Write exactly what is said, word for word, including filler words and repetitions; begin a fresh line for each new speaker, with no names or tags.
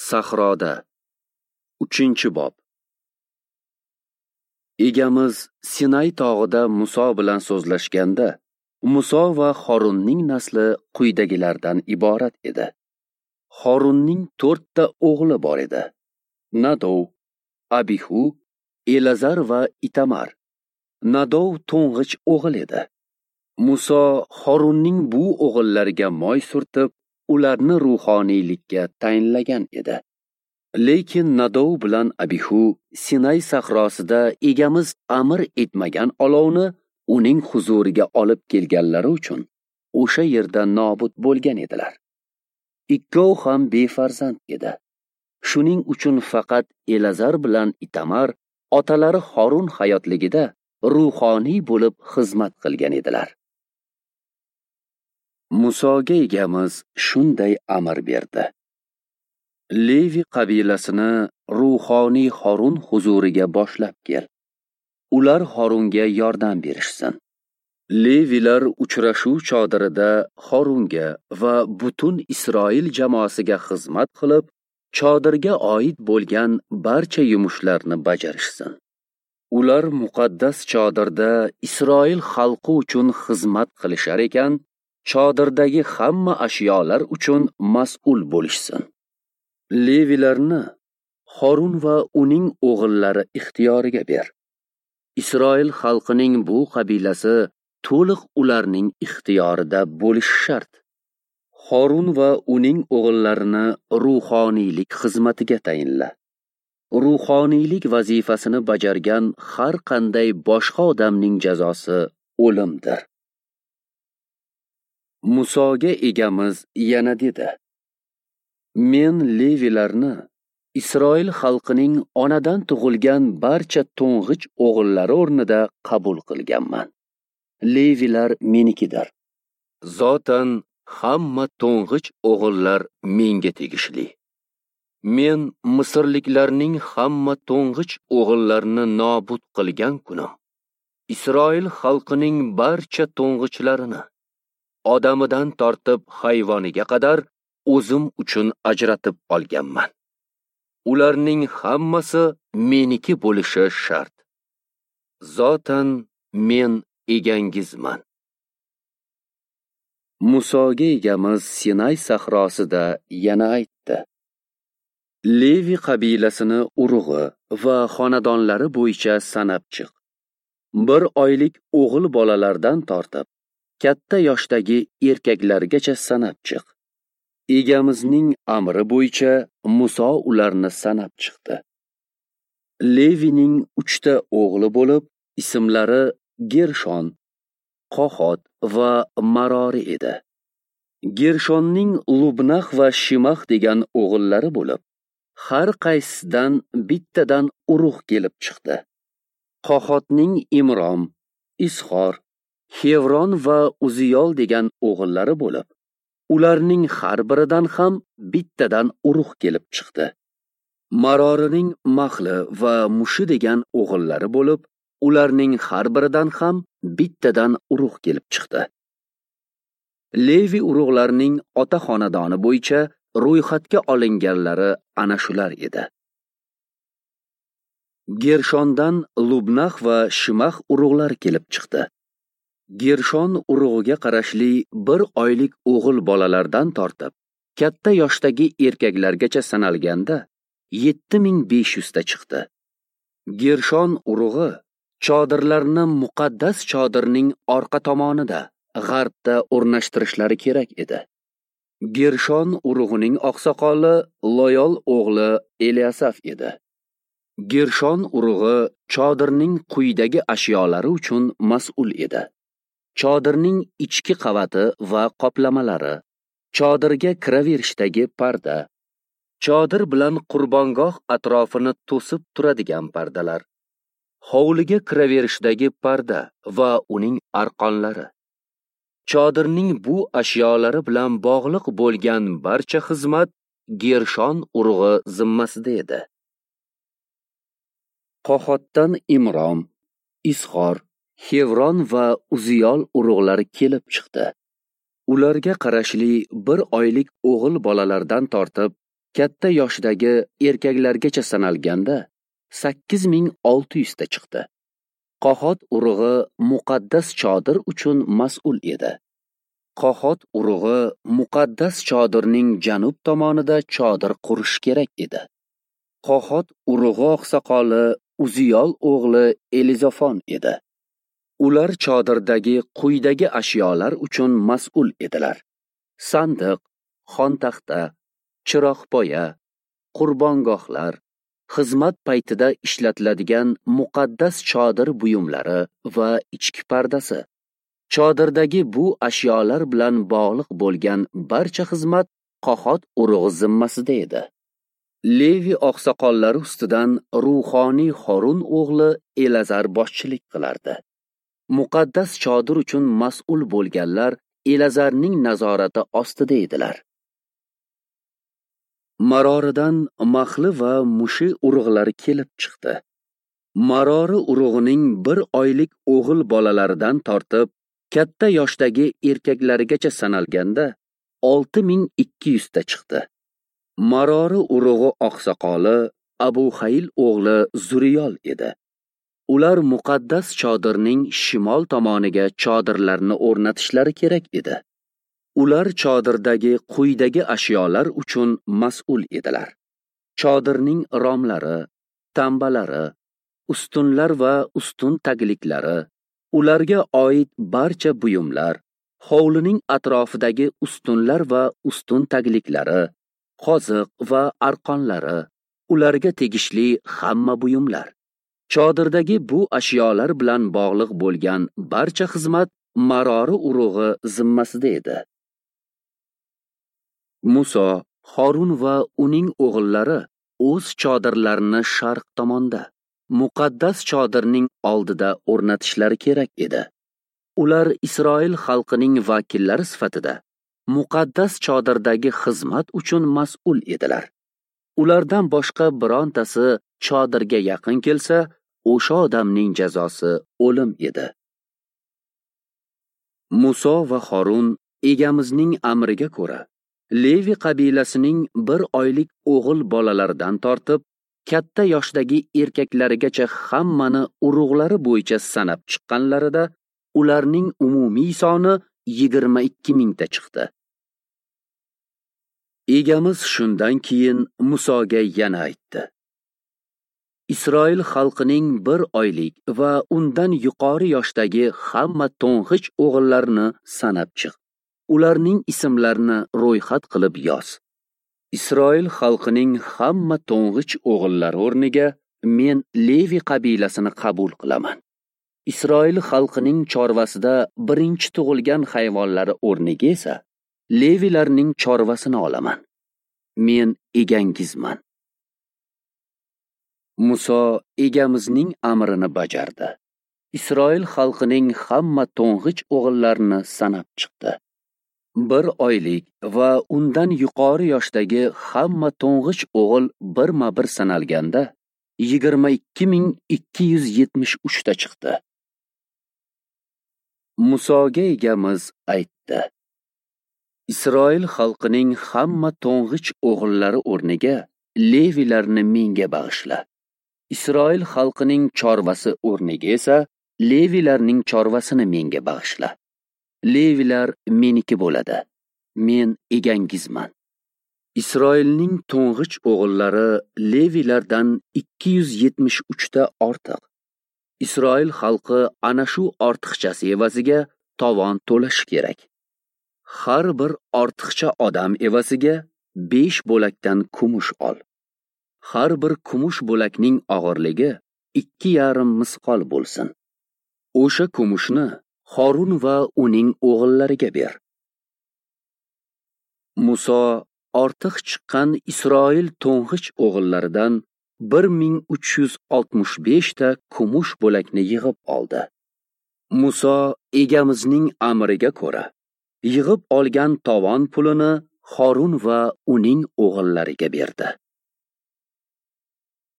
Sahroda. Uchinchi bob. Egamiz Sinay tog'ida Muso bilan so'zlashganda, Muso va Horunning nasli quyidagilardan iborat edi. Horunning to'rtta o'g'li bor edi: Nadov, Abihu, Elazar va Itamar. Nadov to'ng'ich o'g'il edi. Muso Horunning bu o'g'illariga moy surtib, ularni ruhoniylikka tayinlagan edi. Lekin Nadov bilan Abihu Sinay sahrosida egamiz amr etmagan olovni uning huzuriga olib kelganlari uchun o'sha yerda nobud bo'lgan edilar. Ikkov ham befarzand edi. Shuning uchun faqat Elazar bilan Itamar otalari Horun hayotligida ruhoniy bo'lib xizmat qilgan edilar. Musoga egamiz shunday amr berdi: Levi qabilasini ruhoniy Horun huzuriga boshlab kel. Ular Horunga yordam berishsin. Levilar uchrashuv chodirida Horunga va butun Isroil jamoasiga xizmat qilib, chodirga oid bo'lgan barcha yumushlarni bajarishsin. Ular muqaddas chodirda Isroil xalqi uchun xizmat qilishar ekan, chodirdagi hamma ashyolar uchun mas'ul bo'lishsin. Levilarni Horun va uning o'g'illari ixtiyoriga ber. Isroil xalqining bu qabilasi to'liq ularning ixtiyorida bo'lishi shart. Horun va uning o'g'illarini ruhoniylik xizmatiga tayinla. Ruhoniylik vazifasini bajargan har qanday boshqa odamning jazosi o'limdir. Musoga egamiz yana dedi: Men Levilarni Isroil xalqining onadan tug'ilgan barcha to'ng'ich o'g'illari o'rnida qabul qilganman. Levilar menikidir. Zotan hamma to'ng'ich o'g'illar menga tegishli. Men misrliklarning hamma to'ng'ich o'g'illarini nobud qilgan kunim Isroil xalqining barcha to'ng'ichlarini odamidan tortib hayvoniga qadar o'zim uchun ajratib olganman. Ularning hammasi meniki bo'lishi shart. Zotan men egangizman. Musoga egamiz Sinay sahrosida yana aytdi: Levi qabilasini urug'i va xonadonlari bo'yicha sanab chiq. Bir oylik o'g'il bolalardan tortib katta yoshdagi erkaklargacha sanab chiq. Egamizning amri bo'yicha Muso ularni sanab chiqdi. Levining uchta o'g'li bo'lib, ismlari Gershon, Qohot va Marori edi. Gershonning Lubnax va Shimax degan o'g'illari bo'lib, har qaysisidan bittadan urug' kelib chiqdi. Qohotning Imrom, Isxor, Xevron va Uziyol degan o'g'illari bo'lib, ularning har biridan ham bittadan urug' kelib chiqdi. Marorining Mahli va Mushi degan o'g'illari bo'lib, ularning har biridan ham bittadan urug' kelib chiqdi. Levi urug'larining ota xonadoni bo'yicha ro'yxatga olinganlari ana shular edi. Gershondan Lubnax va Shimax urug'lari kelib chiqdi. Gershon urug'iga qarashli bir oylik o'g'il bolalardan tortib katta yoshdagi erkaklargacha sanalganda yetti ming besh yuzta chiqdi. Gershon urug'i chodirlarni muqaddas chodirning orqa tomonida, g'arbda o'rnashtirishlari kerak edi. Gershon urug'ining oqsoqoli Loyol o'g'li Eliasaf edi. Gershon urug'i chodirning quyidagi ashyolari uchun mas'ul edi: chodirning ichki qavati va qoplamalari, chodirga kiraverishdagi parda, chodir bilan qurbongoh atrofini to'sib turadigan pardalar, hovliga kiraverishdagi parda va uning arqonlari. Chodirning bu ashyolari bilan bog'liq bo'lgan barcha xizmat Gershon urug'i zimmasida edi. Qohotdan Imrom, Isxor, Xevron va Uziyol urug'lari kelib chiqdi. Ularga qarashli bir oylik o'g'il bolalardan tortib katta yoshdagi erkaklargacha sanalganda sakkiz ming olti yuzta chiqdi. Qohot urug'i muqaddas chodir uchun mas'ul edi. Qohot urug'i muqaddas chodirning janub tomonida chodir qurish kerak edi. Qohot urug'i oqsoqoli Uziyol o'g'li Elizafon edi. Ular chodirdagi quyidagi ashyolar uchun mas'ul edilar: sandiq, xontaxta, chiroqpoya, qurbongohlar, xizmat paytida ishlatiladigan muqaddas chodir buyumlari va ichki pardasi. Chodirdagi bu ashyolar bilan bog'liq bo'lgan barcha xizmat Qohot urug'i zimmasida edi. Levi oqsoqollari ustidan ruhoniy Horun o'g'li Elazar boshchilik qilardi. Muqaddas chodir uchun mas'ul bo'lganlar Elazarning nazorati ostida edilar. Maroridan Mahli va Mushi urug'lari kelib chiqdi. Marori urug'ining bir oylik o'g'il bolalaridan tortib katta yoshdagi erkaklarigacha sanalganda olti ming ikki yuzta chiqdi. Marori urug'i oqsoqoli Abu Hayl o'g'li Zuriyol edi. Ular muqaddas chodirning shimol tomoniga chodirlarni o'rnatishlari kerak edi. Ular chodirdagi quyidagi ashyolar uchun mas'ul edilar: chodirning romlari, tambalari, ustunlar va ustun tagliklari, ularga oid barcha buyumlar, hovlining atrofidagi ustunlar va ustun tagliklari, qoziq va arqonlari, ularga tegishli hamma buyumlar. Chodirdagi bu ashyolar bilan bog'liq bo'lgan barcha xizmat Marori urug'i zimmasida edi. Muso, Horun va uning o'g'illari o'z chodirlarini sharq tomonda, muqaddas chodirning oldida o'rnatishlari kerak edi. Ular Isroil xalqining vakillari sifatida muqaddas chodirdagi xizmat uchun mas'ul edilar. Ulardan boshqa birontasi chodirga yaqin kelsa, o'sha odamning jazosi o'lim edi. Muso va Horun egamizning amriga ko'ra Levi qabilasining bir oylik o'g'il bolalaridan tortib katta yoshdagi erkaklarigacha hammani urug'lari bo'yicha sanab chiqqanlarida ularning umumiy soni yigirma ikki mingta chiqdi. Egamiz shundan keyin Musoga yana aytdi: Isroil xalqining bir oylik va undan yuqori yoshdagi hamma to'ng'ich o'g'illarini sanab chiq. Ularning ismlarini ro'yxat qilib yoz. Isroil xalqining hamma to'ng'ich o'g'illari o'rniga men Levi qabilasini qabul qilaman. Isroil xalqining chorvasida birinchi tug'ilgan hayvonlari o'rniga esa Levilarning chorvasini olaman. Men egangizman. Muso egamizning amrini bajardi. Isroil xalqining hamma to'ng'ich o'g'illarini sanab chiqdi. Bir oylik va undan yuqori yoshdagi hamma to'ng'ich o'g'il birma-bir sanalganda yigirma ikki ming ikki yuz yetmish uchta chiqdi. Musoga egamiz aytdi: Isroil xalqining hamma to'ng'ich o'g'illari o'rniga Levilarni menga bag'ishla. Isroil xalqining chorvasi o'rniga esa Levilarning chorvasini menga bag'ishla. Levilar meniki bo'ladi. Men egangizman. Isroilning to'ng'ich o'g'illari Levilardan ikki yuz yetmish uchta ortiq. Isroil xalqi ana shu ortiqchasi evaziga tovon to'lashi kerak. Har bir ortiqcha odam evaziga besh bo'lakdan kumush ol. Har bir kumush bo'lakning og'irligi ikki yarim misqol bo'lsin. O'sha kumushni Horun va uning o'g'illariga ber. Muso ortiq chiqqan Isroil to'ng'ich o'g'illaridan bir ming uch yuz oltmish beshta kumush bo'lakni yig'ib oldi. Muso egamizning amriga ko'ra yig'ib olgan tovon pulini Horun va uning o'g'illariga berdi.